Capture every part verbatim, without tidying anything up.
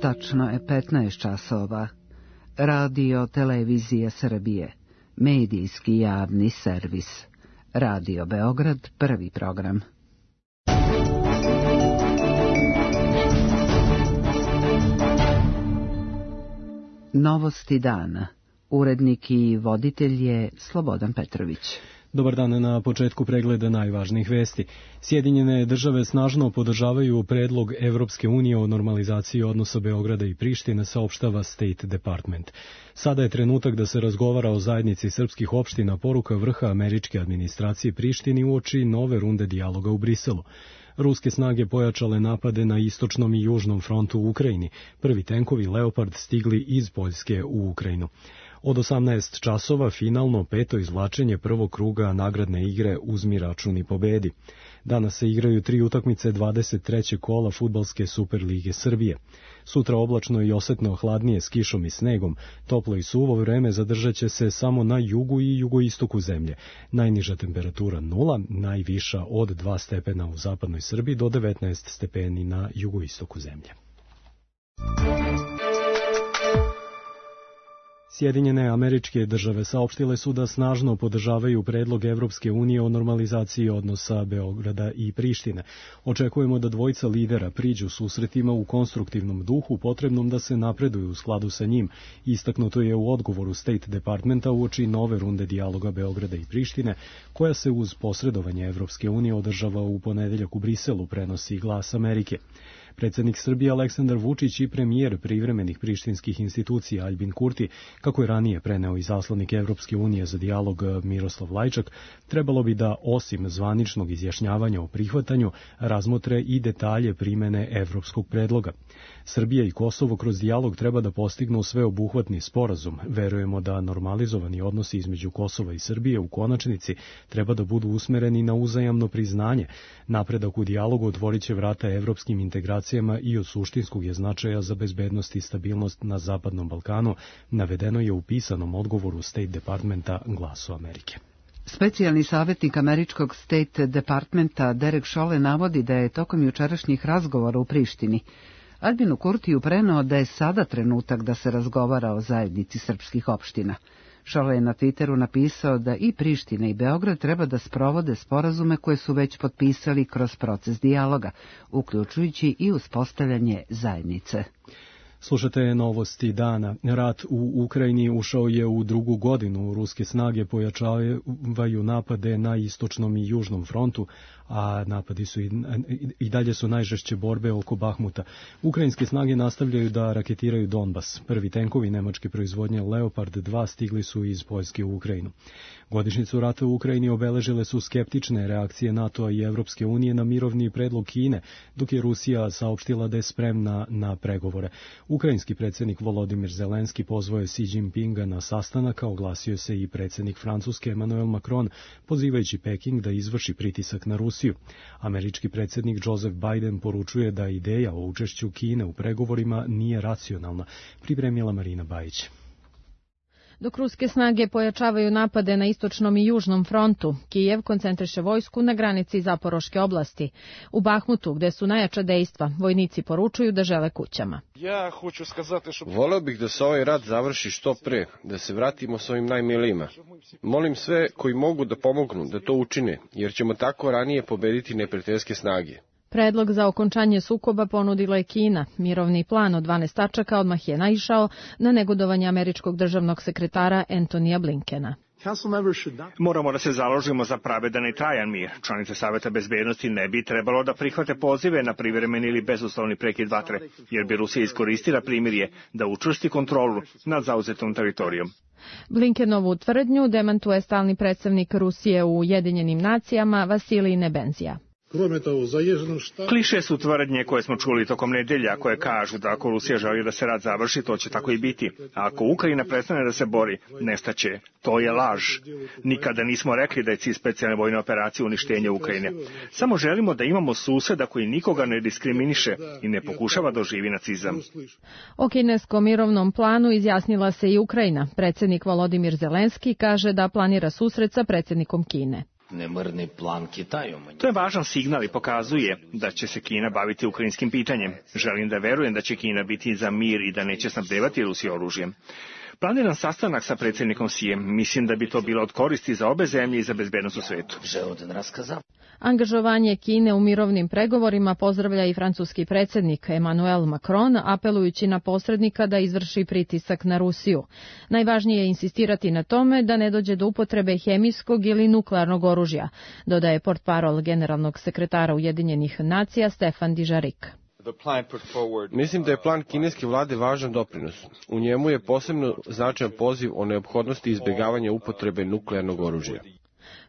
Tačno je petnaest časova. Radio Televizija Srbije. Medijski javni servis. Radio Beograd, prvi program. Novosti dana. Urednik i voditelj je Slobodan Petrović. Dobar dan, na početku pregleda najvažnijih vesti. Sjedinjene države snažno podržavaju predlog Evropske unije o normalizaciji odnosa Beograda i Prištine, saopštava State Department. Sada je trenutak da se razgovara o zajednici srpskih opština, poruka vrha američke administracije Prištini uoči nove runde dijaloga u Briselu. Ruske snage pojačale napade na istočnom i južnom frontu u Ukrajini. Prvi tenkovi Leopard stigli iz Poljske u Ukrajinu. Od osamnaest časova finalno peto izvlačenje prvog kruga nagradne igre Uzmi račun i pobedi. Danas se igraju tri utakmice dvadeset trećeg kola Fudbalske Superlige Srbije. Sutra oblačno i osetno hladnije s kišom i snegom. Toplo i suvo vreme zadržat će se samo na jugu i jugoistoku zemlje. Najniža temperatura nula, najviša od dva stepena u zapadnoj Srbiji do devetnaest stepeni na jugoistoku zemlje. Sjedinjene američke države saopštile su da snažno podržavaju predlog Evropske unije o normalizaciji odnosa Beograda i Prištine. Očekujemo da dvojica lidera priđu susretima u konstruktivnom duhu potrebnom da se napreduju u skladu sa njim. Istaknuto je u odgovoru State Departmenta uoči nove runde dijaloga Beograda i Prištine, koja se uz posredovanje Evropske unije održava u ponedeljak u Briselu, prenosi Glas Amerike. Predsjednik Srbije Aleksandar Vučić i premijer privremenih prištinskih institucija Aljbin Kurti, kako je ranije preneo izaslanik Evropske unije za dijalog Miroslav Lajčak, trebalo bi da, osim zvaničnog izjašnjavanja o prihvatanju, razmotre i detalje primene evropskog predloga. Srbija i Kosovo kroz dijalog treba da postignu sveobuhvatni sporazum. Verujemo da normalizovani odnosi između Kosova i Srbije u konačnici treba da budu usmereni na uzajamno priznanje. Napredak u dijalogu otvorit će vrata evropskim integracijama i od suštinskog je značaja za bezbednost i stabilnost na Zapadnom Balkanu, navedeno je u pisanom odgovoru State Departmenta Glasu Amerike. Specijalni savjetnik američkog State Departmenta Derek Chollet navodi da je tokom jučerašnjih razgovora u Prištini Aljbinu Kurtiju preneo da je sada trenutak da se razgovara o zajednici srpskih opština. Chollet je na Twitteru napisao da i Priština i Beograd treba da sprovode sporazume koje su već potpisali kroz proces dijaloga, uključujući i uspostavljanje zajednice. Slušate novosti dana. Rat u Ukrajini ušao je u drugu godinu. Ruske snage pojačavaju napade na istočnom i južnom frontu, a napadi su i, i dalje su najžešće borbe oko Bahmuta. Ukrajinske snage nastavljaju da raketiraju Donbas. Prvi tenkovi nemačke proizvodnje Leopard dva stigli su iz Poljske u Ukrajinu. Godišnjicu rata u Ukrajini obeležile su skeptične reakcije NATO-a i Evropske unije na mirovni predlog Kine, dok je Rusija saopštila da je spremna na pregovore. Ukrajinski predsjednik Volodimir Zelenski pozvao je Xi Jinpinga na sastanak, a oglasio se i predsjednik Francuske Emmanuel Macron, pozivajući Peking da izvrši pritisak na Rusiju. Američki predsjednik Joseph Biden poručuje da ideja o učešću Kine u pregovorima nije racionalna, pripremila Marina Bajić. Dok ruske snage pojačavaju napade na istočnom i južnom frontu, Kijev koncentriše vojsku na granici Zaporoške oblasti. U Bahmutu, gde su najjača dejstva, vojnici poručuju da žele kućama. Ja hoću skazati što... Voleo bih da se ovaj rat završi što pre, da se vratimo svojim najmilijima. Molim sve koji mogu da pomognu da to učine, jer ćemo tako ranije pobediti neprijateljske snage. Predlog za okončanje sukoba ponudila je Kina. Mirovni plan od dvanaest tačaka odmah je naišao na negodovanje američkog državnog sekretara Antonija Blinkena. Moramo da se založimo za pravedan i trajan mir. Članice Saveta bezbednosti ne bi trebalo da prihvate pozive na privremeni ili bezuslovni prekid vatre, jer bi Rusija iskoristila primirje da učvrsti kontrolu nad zauzetom teritorijom. Blinkenovu tvrdnju demantuje stalni predstavnik Rusije u Ujedinjenim nacijama Vasilij Nebenzija. Kliše su tvrdnje koje smo čuli tokom nedelja, koje kažu da ako Rusija želi da se rat završi, to će tako i biti. A ako Ukrajina prestane da se bori, nestaće. To je laž. Nikada nismo rekli da je cilj specijalne vojne operacije uništenje Ukrajine. Samo želimo da imamo suseda koji nikoga ne diskriminiše i ne pokušava da oživi nacizam. O kineskom mirovnom planu izjasnila se i Ukrajina. Predsjednik Volodimir Zelenski kaže da planira susret sa predsjednikom Kine. To je važan signal i pokazuje da će se Kina baviti ukrajinskim pitanjem. Želim da verujem da će Kina biti za mir i da neće snabdevati Rusiju oružjem. Planiran sastanak sa predsjednikom Sijem, mislim da bi to bilo od koristi za obe zemlje i za bezbednost u svetu. Angažovanje Kine u mirovnim pregovorima pozdravlja i francuski predsjednik Emmanuel Macron, apelujući na posrednika da izvrši pritisak na Rusiju. Najvažnije je insistirati na tome da ne dođe do upotrebe hemijskog ili nuklearnog oružja, dodaje portparol generalnog sekretara Ujedinjenih nacija Stefan Dujarric. Mislim da je plan kineske vlade važan doprinos. U njemu je posebno značajan poziv o neophodnosti izbjegavanja upotrebe nuklearnog oružja.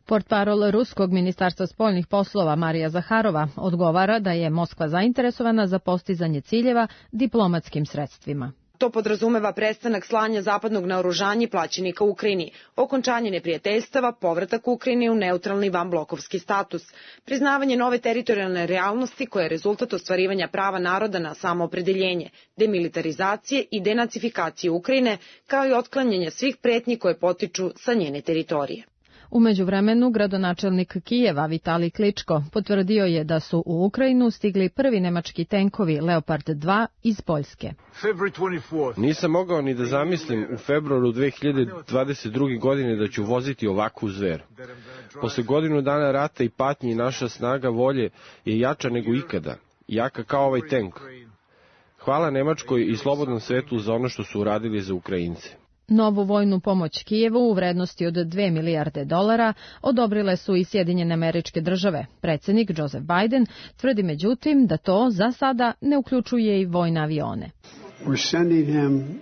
Portparol Ruskog ministarstva spoljnih poslova Marija Zaharova odgovara da je Moskva zainteresovana za postizanje ciljeva diplomatskim sredstvima. To podrazumeva prestanak slanja zapadnog naoružanja i plaćenika Ukrajini, okončanje neprijateljstava, povratak Ukrajine u neutralni vanblokovski status, priznavanje nove teritorijalne realnosti koja je rezultat ostvarivanja prava naroda na samoopredeljenje, demilitarizacije i denacifikacije Ukrajine, kao i otklanjanje svih pretnji koje potiču sa njene teritorije. U međuvremenu, gradonačelnik Kijeva Vitalij Kličko potvrdio je da su u Ukrajinu stigli prvi nemački tenkovi Leopard dva iz Poljske. Nisam mogao ni da zamislim u februaru dve hiljade dvadeset druge. godine da ću voziti ovakvu zver. Posle godinu dana rata i patnji naša snaga volje je jača nego ikada, jaka kao ovaj tenk. Hvala Nemačkoj i slobodnom svetu za ono što su uradili za Ukrajince. Novu vojnu pomoć Kijevu u vrednosti od dve milijarde dolara odobrile su i Sjedinjene Američke Države. Predsjednik Joseph Biden tvrdi međutim da to za sada ne uključuje i vojne avione.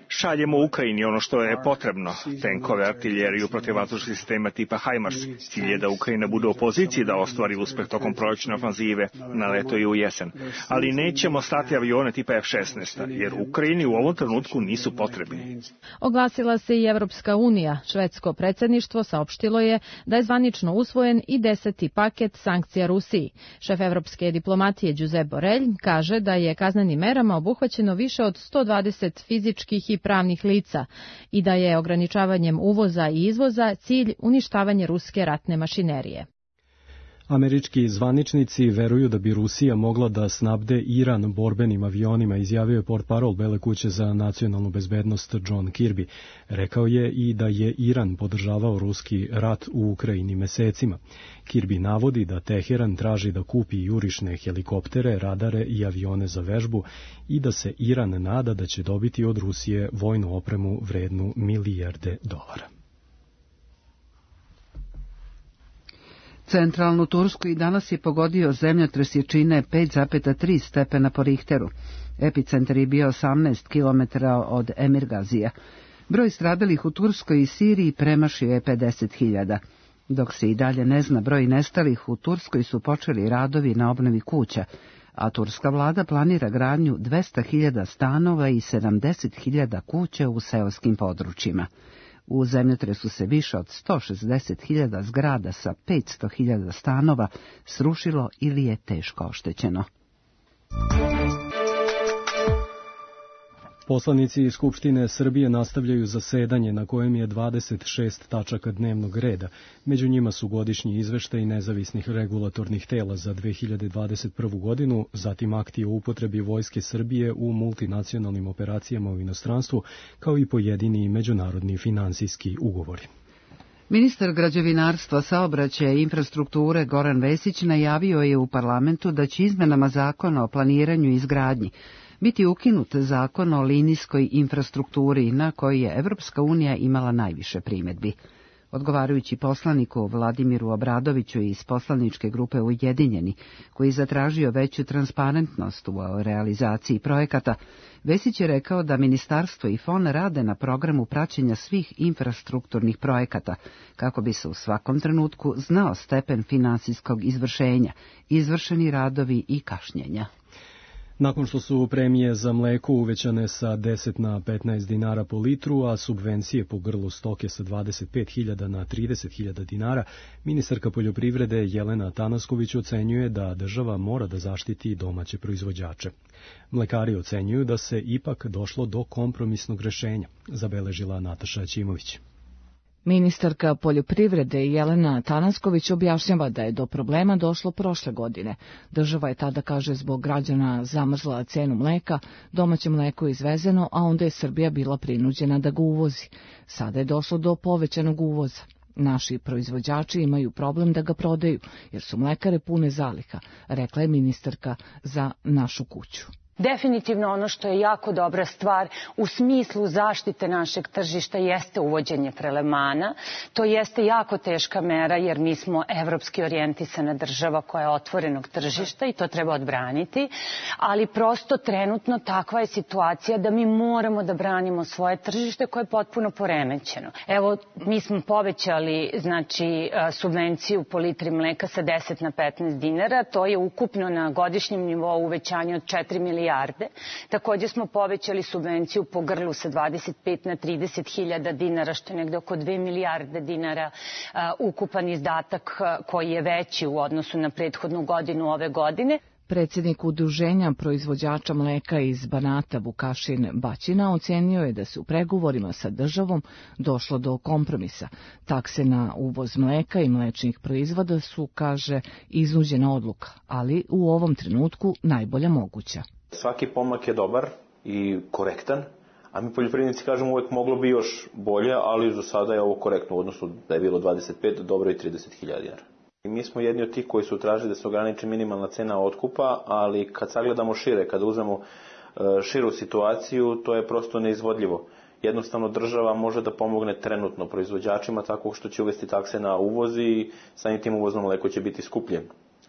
Šaljemo Ukrajini ono što je potrebno, tenkove, artiljeriju, protivvazdušnih sistema tipa HIMARS. Cilj je da Ukrajina bude u poziciji da ostvari uspeh tokom prolećne ofanzive na leto i u jesen. Ali nećemo slati avione tipa F šesnaest, jer Ukrajini u ovom trenutku nisu potrebni. Oglasila se i Evropska unija. Švedsko predsjedništvo saopštilo je da je zvanično usvojen i deseti paket sankcija Rusiji. Šef evropske diplomatije Josep Borrell kaže da je kaznenim merama obuhvaćeno više od sto dvadeset fizičkih i pravnih lica i da je ograničavanjem uvoza i izvoza cilj uništavanje ruske ratne mašinerije. Američki zvaničnici veruju da bi Rusija mogla da snabde Iran borbenim avionima, izjavio je portparol Bele kuće za nacionalnu bezbednost John Kirby. Rekao je i da je Iran podržavao ruski rat u Ukrajini mesecima. Kirby navodi da Teheran traži da kupi jurišne helikoptere, radare i avione za vežbu i da se Iran nada da će dobiti od Rusije vojnu opremu vrednu milijarde dolara. Centralnu Tursku i danas je pogodio zemljotres jačine pet zarez tri stepena po Richteru. Epicentar je bio osamnaest kilometara od Emirgazija. Broj stradalih u Turskoj i Siriji premašio je pedeset hiljada. Dok se i dalje ne zna broj nestalih, u Turskoj su počeli radovi na obnovi kuća, a turska vlada planira gradnju dvesta hiljada stanova i sedamdeset hiljada kuća u seoskim područjima. U zemljotresu se više od sto šezdeset hiljada zgrada sa petsto hiljada stanova srušilo ili je teško oštećeno. Poslanici Skupštine Srbije nastavljaju zasedanje na kojem je dvadeset šest tačaka dnevnog reda. Među njima su godišnji izveštaj nezavisnih regulatornih tela za dve hiljade dvadeset prvu. godinu, zatim akti o upotrebi Vojske Srbije u multinacionalnim operacijama u inostranstvu, kao i pojedini međunarodni finansijski ugovori. Ministar građevinarstva, saobraćaja i infrastrukture Goran Vesić najavio je u parlamentu da će izmenama zakona o planiranju i izgradnji biti ukinut zakon o linijskoj infrastrukturi na koji je Evropska unija imala najviše primjedbi. Odgovarajući poslaniku Vladimiru Obradoviću iz poslaničke grupe Ujedinjeni, koji je zatražio veću transparentnost u realizaciji projekata, Vesić je rekao da ministarstvo i F O N rade na programu praćenja svih infrastrukturnih projekata, kako bi se u svakom trenutku znao stepen finansijskog izvršenja, izvršeni radovi i kašnjenja. Nakon što su premije za mleko uvećane sa deset na petnaest dinara po litru, a subvencije po grlu stoke sa dvadeset pet hiljada na trideset hiljada dinara, ministarka poljoprivrede Jelena Tanasković ocenjuje da država mora da zaštiti domaće proizvođače. Mlekari ocenjuju da se ipak došlo do kompromisnog rešenja, zabeležila Nataša Ćimović. Ministarka poljoprivrede Jelena Tanasković objašnjava da je do problema došlo prošle godine. Država je tada, kaže, zbog građana zamrzla cenu mleka, domaće mleko je izvezeno, a onda je Srbija bila prinuđena da ga uvozi. Sada je došlo do povećanog uvoza. Naši proizvođači imaju problem da ga prodaju, jer su mlekare pune zaliha, rekla je ministarka za Našu kuću. Definitivno ono što je jako dobra stvar u smislu zaštite našeg tržišta jeste uvođenje prelevmana. To jeste jako teška mera jer mi smo evropski orijentisana država koja je otvorenog tržišta i to treba odbraniti, ali prosto trenutno takva je situacija da mi moramo da branimo svoje tržište koje je potpuno poremećeno. Evo, mi smo povećali znači, subvenciju po litri mleka sa deset na petnaest dinara, to je ukupno na godišnjem nivou uvećanje od četiri milijarde. Takođe smo povećali subvenciju po grlu sa dvadeset pet na trideset hiljada dinara, što je negde oko dve milijarde dinara ukupan izdatak koji je veći u odnosu na prethodnu godinu ove godine. Predsjednik Udruženja proizvođača mleka iz Banata Vukašin Baćina ocenio je da se u pregovorima sa državom došlo do kompromisa. Takse na uvoz mleka i mlečnih proizvoda su, kaže, iznuđena odluka, ali u ovom trenutku najbolja moguća. Svaki pomak je dobar i korektan, a mi poljoprivrednici kažemo uvek moglo bi još bolje, ali za sada je ovo korektno u odnosu da je bilo dvadeset pet, dobro i trideset hiljada dinara. I mi smo jedni od tih koji su tražili da se ograniči minimalna cena otkupa, ali kad sagledamo šire, kada uzmemo širu situaciju, to je prosto neizvodljivo. Jednostavno država može da pomogne trenutno proizvođačima tako što će uvesti takse na uvoz i samim tim uvozno mleko će biti skuplje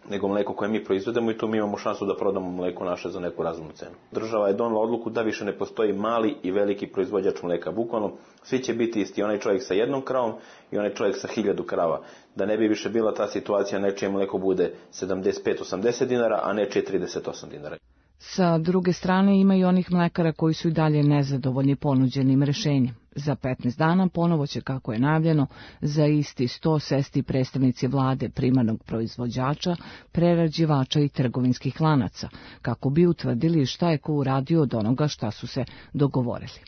nego mleko koje mi proizvedemo i tu mi imamo šansu da prodamo mleko naše za neku razumnu cenu. Država je donela odluku da više ne postoji mali i veliki proizvođač mleka. Bukvalno svi će biti isti, onaj čovjek sa jednom kravom i onaj čovjek sa hiljadu krava. Da ne bi više bila ta situacija, nečije mleko bude sedamdeset pet do osamdeset dinara, a nečije trideset osam dinara. Sa druge strane ima i onih mlekara koji su i dalje nezadovoljni ponuđenim rešenjem. Za petnaest dana ponovo će, kako je najavljeno, za isti sto sesti predstavnici vlade, primarnog proizvođača, prerađivača i trgovinskih lanaca, kako bi utvrdili šta je ko uradio od onoga šta su se dogovorili.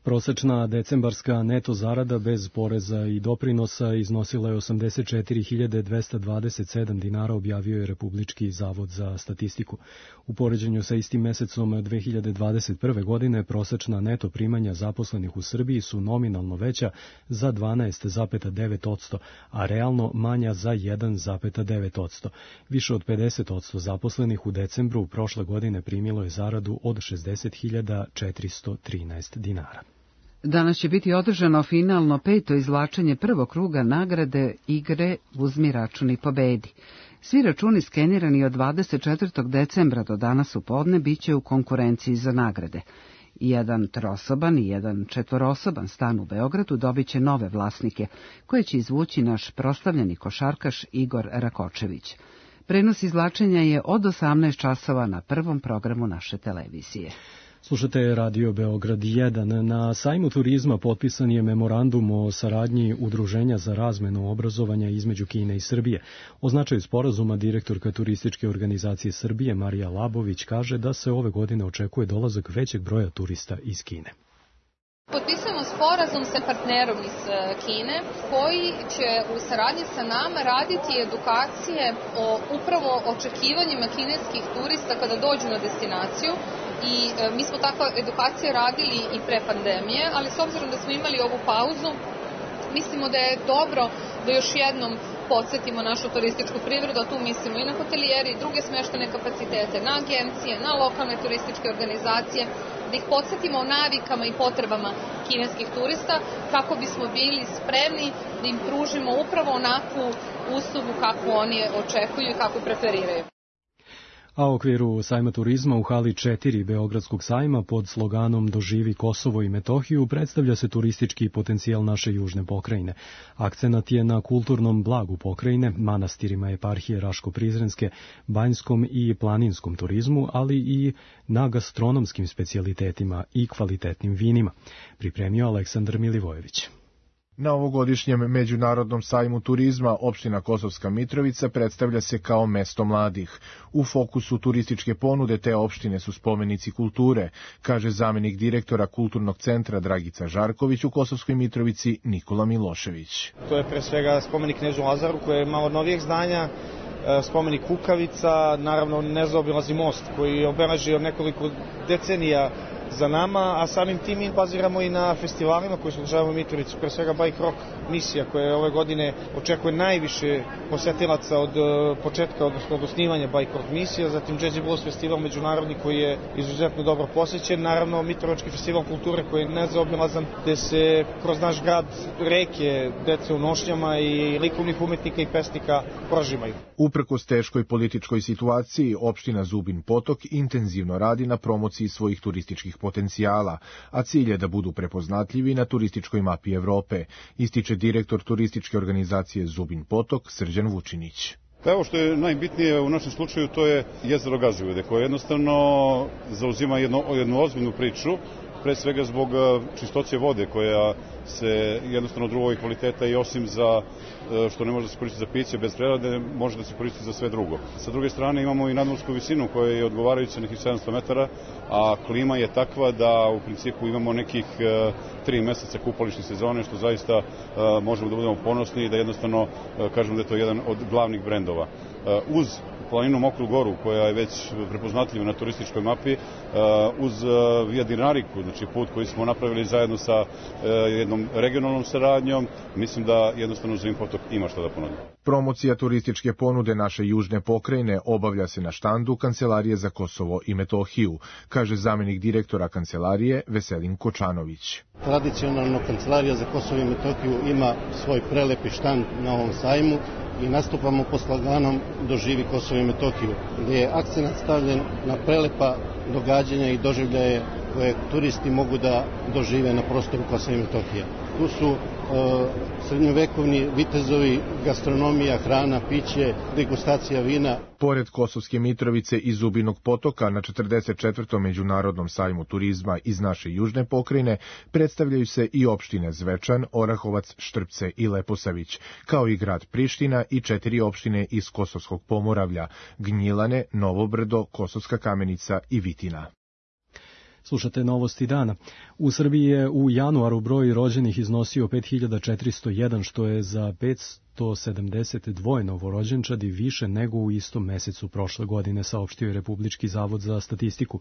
Prosečna decembarska neto zarada bez poreza i doprinosa iznosila je osamdeset četiri hiljade dvesta dvadeset sedam dinara, objavio je Republički zavod za statistiku. U poređenju sa istim mesecom dve hiljade dvadeset prve. godine prosečna neto primanja zaposlenih u Srbiji su nominalno veća za dvanaest zarez devet posto, a realno manja za jedan zarez devet posto. Više od pedeset posto zaposlenih u decembru prošle godine primilo je zaradu od šezdeset hiljada četiristo trinaest dinara. Danas će biti održano finalno peto izvlačenje prvog kruga nagrade igre Uzmi račun i pobedi. Svi računi skenirani od dvadeset četvrtog decembra do danas u podne bit će u konkurenciji za nagrade. Jedan trosoban i jedan četvorosoban stan u Beogradu dobit će nove vlasnike, koje će izvući naš proslavljeni košarkaš Igor Rakočević. Prenos izvlačenja je od osamnaest časova na prvom programu naše televizije. Slušate Radio Beograd jedan. Na sajmu turizma potpisan je memorandum o saradnji Udruženja za razmenu obrazovanja između Kine i Srbije. O značaju sporazuma direktorka Turističke organizacije Srbije Marija Labović kaže da se ove godine očekuje dolazak većeg broja turista iz Kine. Potpisujemo sporazum sa partnerom iz Kine koji će u saradnji sa nama raditi edukacije o upravo očekivanjima kineskih turista kada dođu na destinaciju. I mi smo takve edukacije radili i pre pandemije, ali s obzirom da smo imali ovu pauzu, mislimo da je dobro da još jednom podsjetimo našu turističku privredu, a tu mislimo i na hotelijeri, i druge smeštene kapacitete, na agencije, na lokalne turističke organizacije, da ih podsjetimo o navikama i potrebama kineskih turista, kako bismo bili spremni da im pružimo upravo onakvu uslugu kakvu oni očekuju i kakvu preferiraju. A u okviru sajma turizma u hali četiri Beogradskog sajma pod sloganom Doživi Kosovo i Metohiju predstavlja se turistički potencijal naše južne pokrajine. Akcenat je na kulturnom blagu pokrajine, manastirima eparhije Raško-Prizrenske, banjskom i planinskom turizmu, ali i na gastronomskim specijalitetima i kvalitetnim vinima. Pripremio Aleksandar Milivojević. Na ovogodišnjem Međunarodnom sajmu turizma opština Kosovska Mitrovica predstavlja se kao mesto mladih. U fokusu turističke ponude te opštine su spomenici kulture, kaže zamenik direktora Kulturnog centra Dragica Žarković u Kosovskoj Mitrovici Nikola Milošević. To je pre svega spomenik Knezu Lazaru koji je malo novijeg zdanja, spomenik Kukavica, naravno nezaobilazni most koji je obeležio nekoliko decenija za nama, a samim tim mi baziramo i na festivalima koji se održavaju u Mitrovici, pre svega Bike Rock misija koja ove godine očekuje najviše posetilaca od početka, odnosno od osnivanja Bike Rock misija, zatim Jazzy Blues festival međunarodni koji je izuzetno dobro posećen, naravno Mitrovački festival kulture koji je nezaobilazan, gde se kroz naš grad reke, dece u nošnjama i likovnih umetnika i pesnika prožimaju. Uprkos teškoj političkoj situaciji, opština Zubin Potok intenzivno radi na promociji svojih turističkih potencijala, a cilj je da budu prepoznatljivi na turističkoj mapi Evrope, ističe direktor turističke organizacije Zubin Potok Srđan Vučinić. Pa evo što je najbitnije u našem slučaju, to je jezero Gazivode, koje jednostavno zauzima jednu, jednu ozbiljnu priču, pre svega zbog čistoće vode koja se jednostavno drugog kvaliteta i osim za što ne može da se koristi za piće bez prerade, može da se koristi za sve drugo. Sa druge strane imamo i nadmorsku visinu koja je odgovarajuća nekih sedamsto metara, a klima je takva da u principu imamo nekih tri meseca kupališne sezone, što zaista možemo da budemo ponosni i da jednostavno kažemo da je to jedan od glavnih brendova. Uz planinu Mokru Goru, koja je već prepoznatljiva na turističkoj mapi, uz Via Dinariku, znači put koji smo napravili zajedno sa jednom regionalnom saradnjom, mislim da jednostavno Zubin Potok ima šta da ponudi. Promocija turističke ponude naše južne pokrajine obavlja se na štandu Kancelarije za Kosovo i Metohiju, kaže zamenik direktora Kancelarije Veselin Kočanović. Tradicionalno Kancelarija za Kosovo i Metohiju ima svoj prelepi štand na ovom sajmu i nastupamo pod sloganom Doživi Kosovo i Metohiju, gdje je akcenat stavljen na prelepa događanja i doživljaje koje turisti mogu da dožive na prostoru Kosova i Metohije. Tu su e, srednjovekovni vitezovi, gastronomija, hrana, piće, degustacija vina. Pored Kosovske Mitrovice i Zubinog Potoka na četrdeset četvrtom Međunarodnom sajmu turizma iz naše južne pokrajine predstavljaju se i opštine Zvečan, Orahovac, Štrpce i Leposavić, kao i grad Priština i četiri opštine iz Kosovskog Pomoravlja, Gnjilane, Novobrdo, Kosovska Kamenica i Vitina. Slušate novosti dana. U Srbiji je u januaru broj rođenih iznosio pet hiljada četiristo jedan, što je za petsto sedamdeset dva novorođenčadi više nego u istom mesecu prošle godine, saopštio je Republički zavod za statistiku.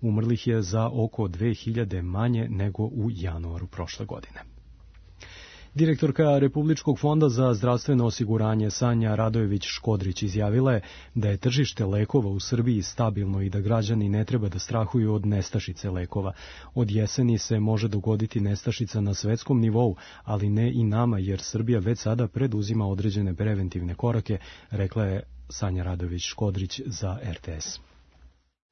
Umrlih je za oko dve hiljade manje nego u januaru prošle godine. Direktorka Republičkog fonda za zdravstveno osiguranje Sanja Radojević-Škodrić izjavila je da je tržište lekova u Srbiji stabilno i da građani ne treba da strahuju od nestašice lekova. Od jeseni se može dogoditi nestašica na svetskom nivou, ali ne i nama, jer Srbija već sada preduzima određene preventivne korake, rekla je Sanja Radojević-Škodrić za R T S.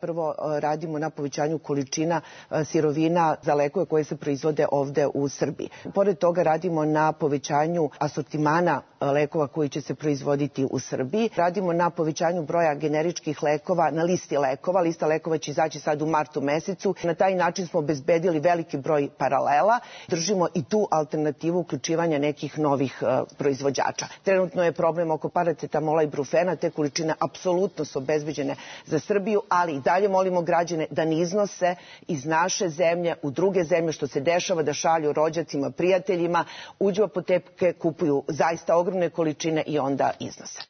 Prvo radimo na povećanju količina sirovina za lekove koje se proizvode ovde u Srbiji. Pored toga radimo na povećanju asortimana lekova koji će se proizvoditi u Srbiji. Radimo na povećanju broja generičkih lekova na listi lekova. Lista lekova će izaći sad u martu mesecu. Na taj način smo obezbedili veliki broj paralela. Držimo i tu alternativu uključivanja nekih novih proizvođača. Trenutno je problem oko paracetamola i brufena. Te količine apsolutno su obezbeđene za Srbiju, ali i dalje molimo građane da ne iznose iz naše zemlje u druge zemlje, što se dešava, da šalju rođacima, prijateljima, uđu u apoteke, kupuju zaista ogromne količine i onda iznose.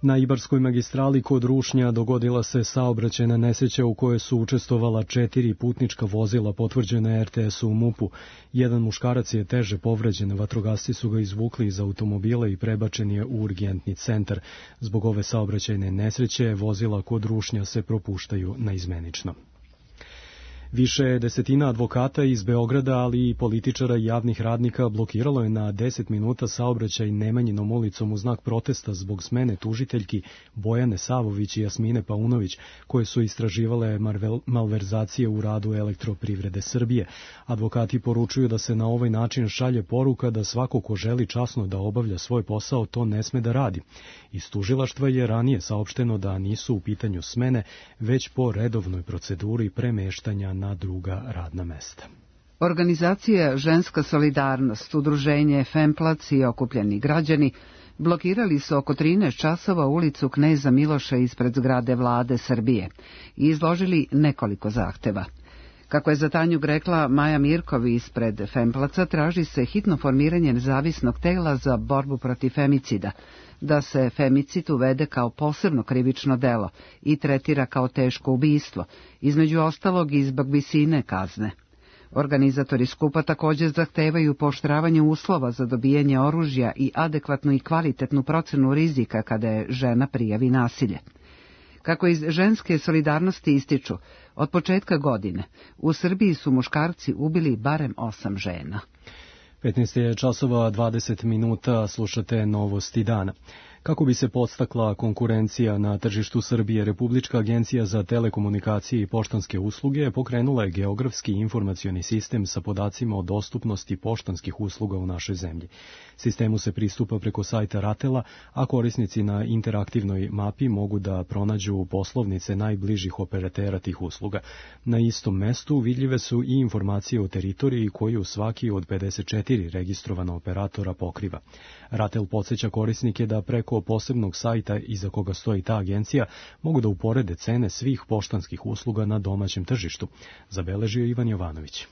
Na Ibarskoj magistrali kod Rušnja dogodila se saobraćajna nesreća u kojoj su učestvovala četiri putnička vozila, potvrđena R T S-u u MUP-u. Jedan muškarac je teže povređen, vatrogasci su ga izvukli iz automobila i prebačen je u urgentni centar. Zbog ove saobraćajne nesreće vozila kod Rušnja se propuštaju naizmenično. Više desetina advokata iz Beograda, ali i političara i javnih radnika blokiralo je na deset minuta saobraćaj Nemanjinom ulicom u znak protesta zbog smene tužiteljki Bojane Savović i Jasmine Paunović, koje su istraživale malverzacije u radu Elektroprivrede Srbije. Advokati poručuju da se na ovaj način šalje poruka da svako ko želi časno da obavlja svoj posao to ne sme da radi. Iz tužilaštva je ranije saopšteno da nisu u pitanju smene, već po redovnoj proceduri premeštanja na druga radna mesta. Organizacija Ženska solidarnost, udruženje Femplac i okupljeni građani blokirali su oko trinaest časova ulicu Kneza Miloša ispred zgrade vlade Srbije i izložili nekoliko zahteva. Kako je za Tanjug rekla Maja Mirkovi ispred Femplaca, traži se hitno formiranje nezavisnog tela za borbu protiv femicida, da se femicid uvede kao posebno krivično delo i tretira kao teško ubistvo, između ostalog i zbog visine kazne. Organizatori skupa također zahtevaju pooštravanje uslova za dobijanje oružja i adekvatnu i kvalitetnu procenu rizika kada je žena prijavi nasilje. Kako iz ženske solidarnosti ističu, od početka godine u Srbiji su muškarci ubili barem osam žena. petnaest je časova dvadeset minuta, slušate Novosti dana. Kako bi se podstakla konkurencija na tržištu Srbije, Republička agencija za telekomunikacije i poštanske usluge pokrenula je geografski informacioni sistem sa podacima o dostupnosti poštanskih usluga u našoj zemlji. Sistemu se pristupa preko sajta Ratela, a korisnici na interaktivnoj mapi mogu da pronađu poslovnice najbližih operatera tih usluga. Na istom mestu vidljive su i informacije o teritoriji koju svaki od pedeset četiri registrovana operatora pokriva. Ratel podsjeća korisnike da preko posebnog sajta iza koga stoji ta agencija mogu da uporede cene svih poštanskih usluga na domaćem tržištu, zabeležio Ivan Jovanović.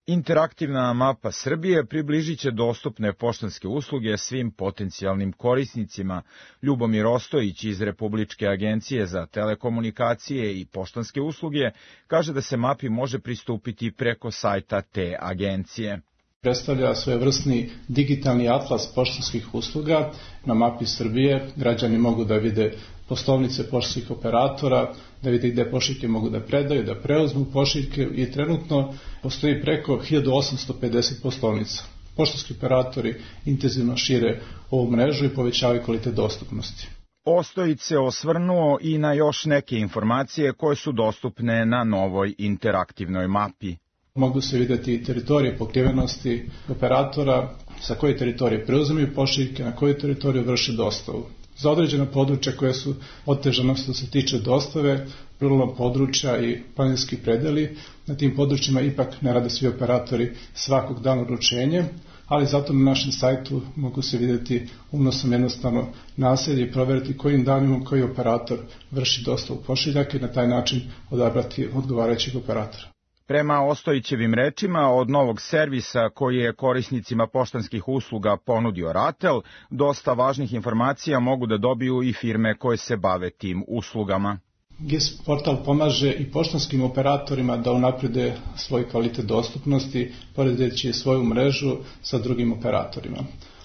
Interaktivna mapa Srbije približit će dostupne poštanske usluge svim potencijalnim korisnicima. Ljubomir Ostojić iz Republičke agencije za telekomunikacije i poštanske usluge kaže da se mapi može pristupiti preko sajta te agencije. Predstavlja svojevrsni digitalni atlas poštanskih usluga. Na mapi Srbije građani mogu da vide poslovnice poštanskih operatora, da vide gde pošiljke mogu da predaju, da preuzmu pošiljke i trenutno postoji preko hiljadu osamsto pedeset poslovnica. Poštanski operatori intenzivno šire ovu mrežu i povećavaju kvalitet dostupnosti. Ostojić se osvrnuo i na još neke informacije koje su dostupne na novoj interaktivnoj mapi. Mogu se vidjeti teritorije pokrivenosti operatora, sa koje teritorije preuzimaju pošiljke, na koju teritoriju vrše dostavu. Za određena područja koje su otežana što se tiče dostave, ruralna područja i planinski predeli, na tim područjima ipak ne rade svi operatori svakog dana uručenje, ali zato na našem sajtu mogu se vidjeti unosom jednostavno naselje i provjeriti kojim danima koji operator vrši dostavu pošiljaka i na taj način odabrati odgovarajućeg operatora. Prema Ostojićevim rečima, od novog servisa koji je korisnicima poštanskih usluga ponudio Ratel, dosta važnih informacija mogu da dobiju i firme koje se bave tim uslugama. G I S portal pomaže i poštanskim operatorima da unaprede svoj kvalitet dostupnosti, poredeći svoju mrežu sa drugim operatorima.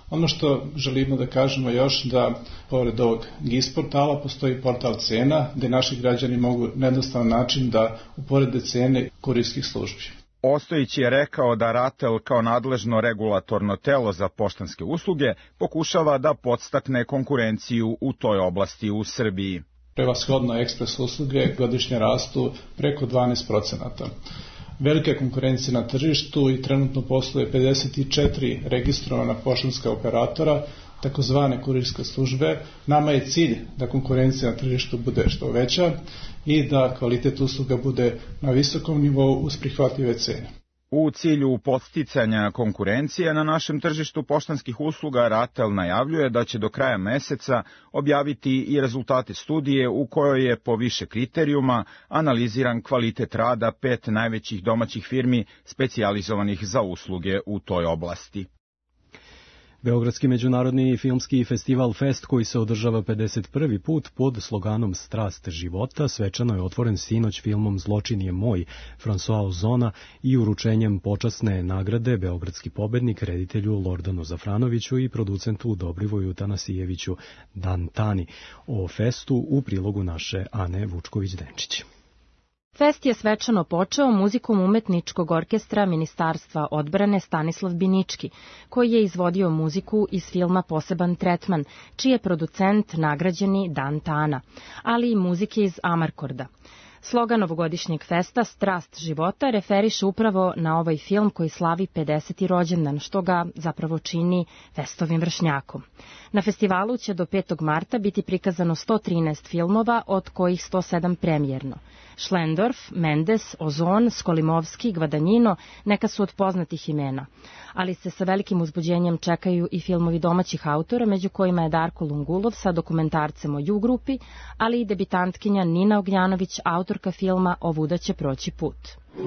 Ono što želimo da kažemo još da pored ovog G I S portala postoji portal cena gde naši građani mogu na jednostavan način da uporede cene kurirskih službi. Ostojić je rekao da Ratel kao nadležno regulatorno telo za poštanske usluge pokušava da podstakne konkurenciju u toj oblasti u Srbiji. Prevashodno ekspres usluge godišnje rastu preko dvanaest procenata. Velika je konkurencija na tržištu i trenutno posluje pedeset četiri registrovana poštanska operatora, takozvane kurirske službe. Nama je cilj da konkurencija na tržištu bude što veća i da kvalitet usluga bude na visokom nivou uz prihvatljive cene. U cilju podsticanja konkurencije na našem tržištu poštanskih usluga, Ratel najavljuje da će do kraja meseca objaviti i rezultate studije u kojoj je po više kriterijuma analiziran kvalitet rada pet najvećih domaćih firmi specijalizovanih za usluge u toj oblasti. Beogradski međunarodni filmski festival Fest, koji se održava pedeset prvi put pod sloganom Strast života, svečano je otvoren sinoć filmom Zločin je moj François Ozona i uručenjem počasne nagrade Beogradski pobednik reditelju Lordanu Zafranoviću i producentu Dobrivoju Tanasijeviću Dantani. O Festu u prilogu naše Ane Vučković-Denčić. Fest je svečano počeo muzikom umetničkog orkestra Ministarstva odbrane Stanislav Binički, koji je izvodio muziku iz filma Poseban tretman, čiji je producent nagrađeni Dan Tana, ali i muzike iz Amarkorda. Slogan ovogodišnjeg festa Strast života referiše upravo na ovaj film koji slavi pedeseti rođendan, što ga zapravo čini festovim vršnjakom. Na festivalu će do petog marta biti prikazano sto trinaest filmova, od kojih sto sedam premijerno. Schlendorf, Mendes, Ozon, Skolimovski, Gvadanjino neka su od poznatih imena, ali se sa velikim uzbuđenjem čekaju i filmovi domaćih autora, među kojima je Darko Lungulov sa dokumentarcem o Ju-grupi, ali i debitantkinja Nina Ognjanović, autorka filma Ovuda će proći put.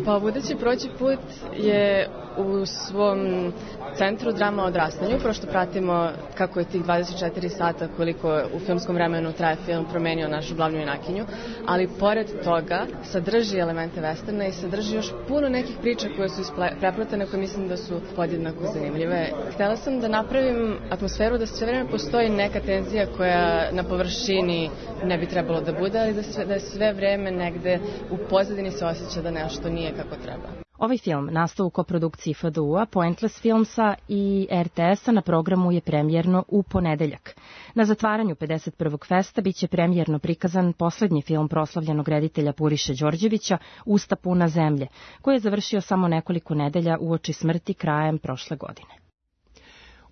Pa Ovuda će proći put je u svom centru drama o odrastanju, prošto pratimo kako je tih dvadeset četiri sata koliko u filmskom vremenu traje film promenio našu glavnu junakinju, ali pored toga sadrži elemente westerna i sadrži još puno nekih priča koje su prepletene, koje mislim da su podjednako zanimljive. Htela sam da napravim atmosferu da sve vreme postoji neka tenzija koja na površini ne bi trebalo da bude, ali da, sve, da je sve vreme negde u pozadini se osjeća da nešto nije kako treba. Ovaj film nastao u koprodukciji F D U-a, Pointless Filmsa i R T S-a na programu je premijerno u ponedeljak. Na zatvaranju pedeset prvog festa biće premijerno prikazan poslednji film proslavljenog reditelja Puriše Đorđevića, Usta puna zemlje, koji je završio samo nekoliko nedelja uoči smrti krajem prošle godine.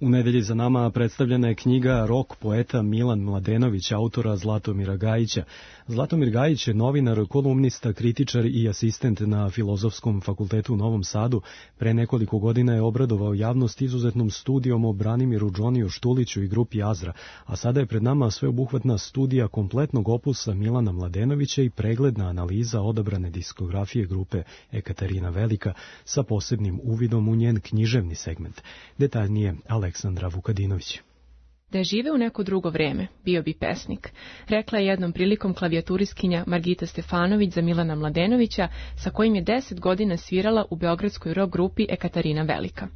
U nedelji za nama predstavljena je knjiga Rok poeta Milan Mladenović, autora Zlatomira Gajića. Zlatomir Gajić je novinar, kolumnista, kritičar i asistent na Filozofskom fakultetu u Novom Sadu. Pre nekoliko godina je obradovao javnost izuzetnom studijom o Branimiru Džoniju Štuliću i grupi Azra, a sada je pred nama sveobuhvatna studija kompletnog opusa Milana Mladenovića i pregledna analiza odabrane diskografije grupe Ekaterina Velika sa posebnim uvidom u njen književni segment. Detaljnije Aleksandra Vukadinović. Da je žive u neko drugo vreme, bio bi pesnik, rekla je jednom prilikom klavijaturiskinja Margita Stefanović za Milana Mladenovića, sa kojim je deset godina svirala u beogradskoj rock grupi Ekaterina Velika.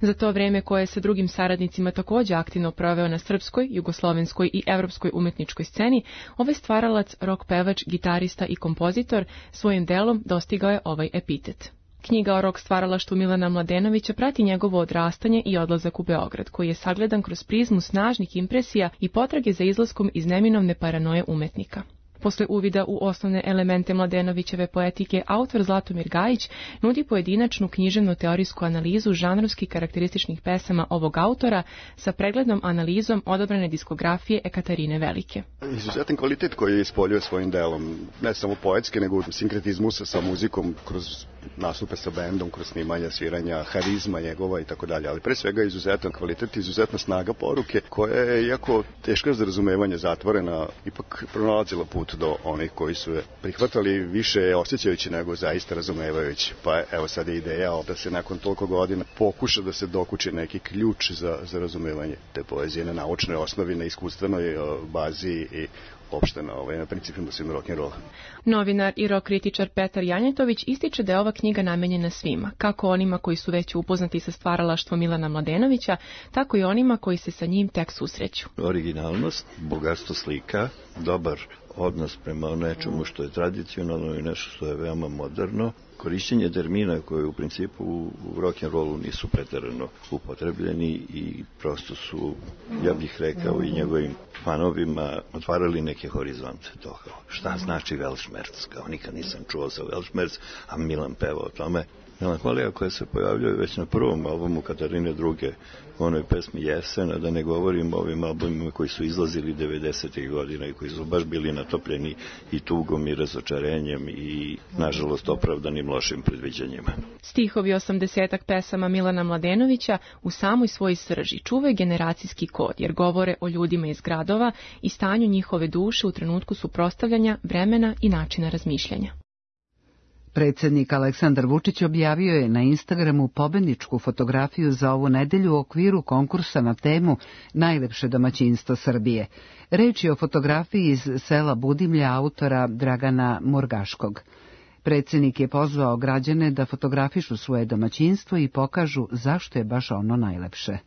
Za to vreme koje je sa drugim saradnicima također aktivno proveo na srpskoj, jugoslovenskoj i evropskoj umetničkoj sceni, ovaj stvaralac, rock pevač, gitarista i kompozitor svojim delom dostigao je ovaj epitet. Knjiga o rock stvaralaštvu Milana Mladenovića prati njegovo odrastanje i odlazak u Beograd, koji je sagledan kroz prizmu snažnih impresija i potrage za izlaskom iz neminovne paranoje umetnika. Posle uvida u osnovne elemente Mladenovićeve poetike, autor Zlatomir Gajić nudi pojedinačnu književno-teorijsku analizu žanrovski karakterističnih pesama ovog autora sa preglednom analizom odabrane diskografije Ekaterine Velike. Izuzetan kvalitet koji je ispoljio svojim delom, ne samo poetske, nego u sinkretizmu sa, sa muzikom, kroz nastupe sa bendom, kroz snimanja, sviranja, harizma njegova i tako dalje, ali pre svega izuzetan kvalitet, izuzetna snaga poruke koja je, iako teška za razumevanje, zatvorena, ipak pronalazila put do onih koji su je prihvatali više osjećajući nego zaista razumevajući. Pa evo sad je ideja da se nakon toliko godina pokuša da se dokuči neki ključ za, za razumevanje te poezije na naučnoj osnovi, na iskustvenoj bazi i opšte na, ovaj, na principima svim rock'n'rolla. Novinar i rock kritičar Petar Janjetović ističe da je ova knjiga namenjena svima, kako onima koji su već upoznati sa stvaralaštvom Milana Mladenovića, tako i onima koji se sa njim tek susreću. Originalnost, bogatstvo slika, dobar odnos prema nečemu što je tradicionalno i nešto što je veoma moderno, korišćenje termina koje u principu u rock'n'rollu nisu preterano upotrebljeni i prosto su, ja bih rekao, i njegovim fanovima otvarali neke horizonte toga. Šta znači Weltschmerz? Kao nikad nisam čuo za Weltschmerz, a Milan peva o tome. Melankolija koja se pojavljuje već na prvom albumu Katarine druge, u onoj pesmi Jesen, a da ne govorim o ovim albumima koji su izlazili devedesetih godina i koji su baš bili natopljeni i tugom i razočarenjem i, nažalost, opravdanim lošim predviđanjima. Stihovi osamdesetak pesama Milana Mladenovića u samoj svojoj srži čuvaju generacijski kod, jer govore o ljudima iz gradova i stanju njihove duše u trenutku suprotstavljanja vremena i načina razmišljanja. Predsjednik Aleksandar Vučić objavio je na Instagramu pobedničku fotografiju za ovu nedelju u okviru konkursa na temu Najlepše domaćinstvo Srbije. Reč je o fotografiji iz sela Budimlja autora Dragana Murgaškog. Predsjednik je pozvao građane da fotografišu svoje domaćinstvo i pokažu zašto je baš ono najlepše.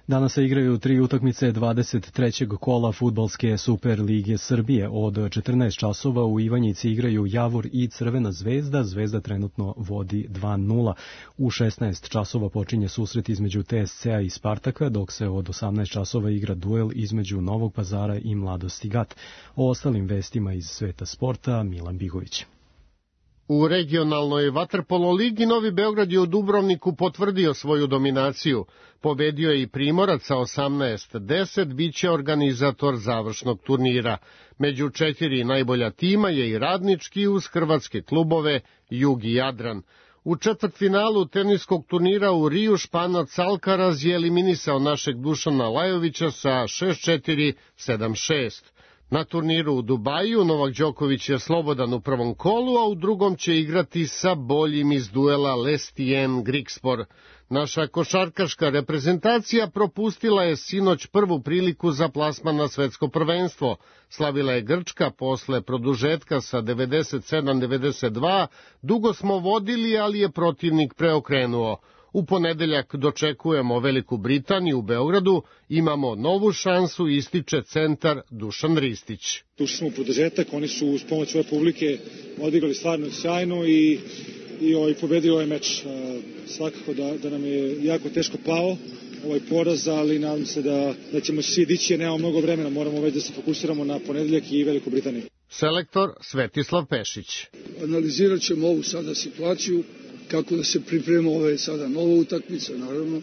Danas se igraju tri utakmice dvadeset trećeg kola fudbalske Super lige Srbije. Od četrnaest časova u Ivanjici igraju Javor i Crvena zvezda. Zvezda trenutno vodi dva nula. U šesnaest časova počinje susret između T S C-a i Spartaka, dok se od osamnaest časova igra duel između Novog Pazara i Mladosti Gat. O ostalim vestima iz sveta sporta Milan Bigović. U regionalnoj vaterpolo ligi Novi Beograd je u Dubrovniku potvrdio svoju dominaciju. Pobedio je i Primorac sa osamnaest deset, bit će organizator završnog turnira. Među četiri najbolja tima je i Radnički uz hrvatske klubove Jug i Jadran. U četvrtfinalu teniskog turnira u Riju Španac Alcaraz je eliminisao našeg Dušana Lajovića sa šest četiri, sedam šest. Na turniru u Dubaju Novak Đoković je slobodan u prvom kolu, a u drugom će igrati sa boljim iz duela Lestien Grigspor. Naša košarkaška reprezentacija propustila je sinoć prvu priliku za plasman na svetsko prvenstvo. Slavila je Grčka posle produžetka sa devedeset sedam devedeset dva, dugo smo vodili, ali je protivnik preokrenuo. U ponedeljak dočekujemo Veliku Britaniju u Beogradu, imamo novu šansu, ističe centar Dušan Ristić. Ušli smo u produžetak, oni su uz pomoć svoje publike odigrali stvarno sjajno i, i ovaj, pobedio ovaj meč. Svakako da, da nam je jako teško pao ovaj poraz, ali nadam se da, da ćemo svi dići, jer nemamo mnogo vremena, moramo već da se fokusiramo na ponedeljak i Veliku Britaniju. Selektor Svetislav Pešić. Analizirat ćemo ovu sada situaciju, kako da se priprema ove sada nova utakmica, naravno,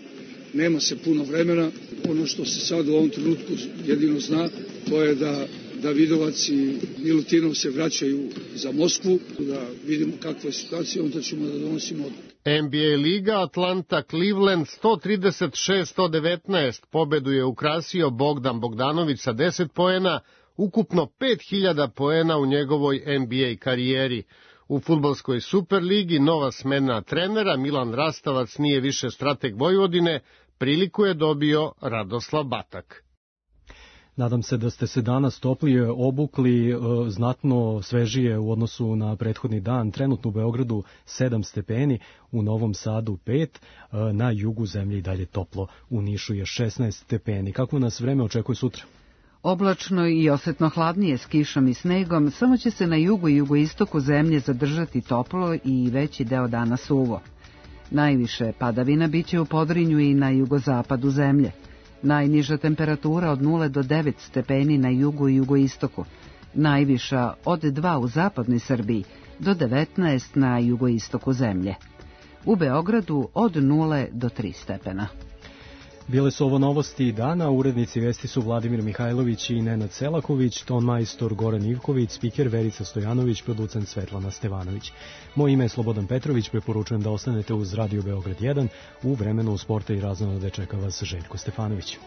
nema se puno vremena. Ono što se sad u ovom trenutku jedino zna, to je da Davidovac i Milutinov se vraćaju za Moskvu, da vidimo kakva je situacija, onda ćemo da donosimo odluku. N B A liga Atlanta Cleveland sto trideset šest sto devetnaest, pobedu je ukrasio Bogdan Bogdanović sa deset poena, ukupno pet hiljada poena u njegovoj N B A karijeri. U fudbalskoj Superligi nova smena trenera Milan Rastavac nije više strateg Vojvodine, priliku je dobio Radoslav Batak. Nadam se da ste se danas toplije obukli, znatno svežije u odnosu na prethodni dan. Trenutno u Beogradu sedam stepeni, u Novom Sadu pet, na jugu zemlje i dalje toplo, u Nišu je šesnaest stepeni. Kako nas vreme očekuje sutra? Oblačno i osetno hladnije s kišom i snegom, samo će se na jugu i jugoistoku zemlje zadržati toplo i veći deo dana suvo. Najviše padavina biće u Podrinju i na jugozapadu zemlje. Najniža temperatura od nula do devet stepeni na jugu i jugoistoku. Najviša od dva u zapadnoj Srbiji do devetnaest na jugoistoku zemlje. U Beogradu od nula do tri stepena. Bile su ovo novosti dana, urednici vesti su Vladimir Mihajlović i Nenad Selaković, ton majstor Goran Ivković, spiker Verica Stojanović, producent Svetlana Stevanović. Moje ime je Slobodan Petrović, preporučujem da ostanete uz Radio Beograd jedan, u vremenu sporta i raznonode čeka vas Željko Stefanović.